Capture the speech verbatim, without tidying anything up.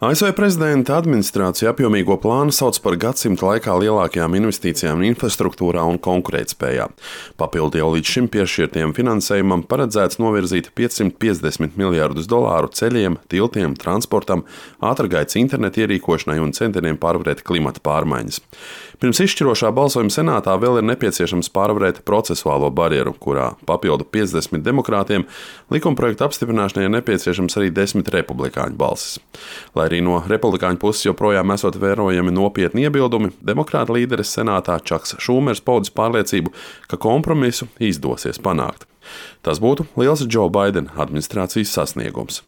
A S V prezidenta administrācija apjomīgo plānu sauc par gadsimta laikā lielākajām investīcijām infrastruktūrā un konkurētspējā. Papildu jau līdz šim piešķirtiem finansējumam paredzēts novirzīt piecsimt piecdesmit miljardus dolāru ceļiem, tiltiem, transportam, ātrgaitas interneta ierīkošanai un centieniem pārvarēt klimata pārmaiņas. Pirms izšķirošā balsojuma senātā vēl ir nepieciešams pārvarēt procesuālo barjeru, kurā papildu piecdesmit demokrātiem likumprojekta apstiprināšanai ir nepieciešams arī desmit republikāņu balsis. Lai arī no republikāņu puses joprojām esot vērojami nopietni iebildumi, demokrāta līderis senātā Čaks Šūmers paudis pārliecību, ka kompromisu izdosies panākt. Tas būtu liels Džo Baidena administrācijas sasniegums.